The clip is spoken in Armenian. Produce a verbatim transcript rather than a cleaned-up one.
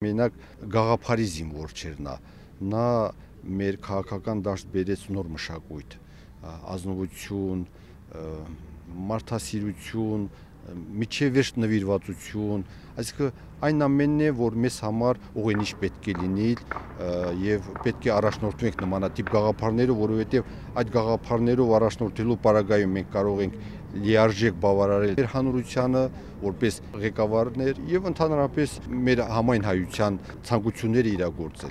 Մենակ գաղափարի զինվոր չէր նա, նա մեր քաղաքական դաշտ բերեց նոր մշակույթ, ազնվություն, մարդասիրություն, միջև վերջ նվիրվածություն, այսինքն այն ամենն է, որ մեզ համար ուղենիշ պետք է լինի եւ պետք է առաջնորդվենք նմանատիպ գաղափարներով, որովհետեւ այդ գաղափարներով առաջնորդելու պարագայում մենք կարող ենք լիարժեք բավարարել մեր հանրությանը որպես ղեկավարներ եւ ընդհանրապես մեր համայն հայության ցանկությունները իրագործել։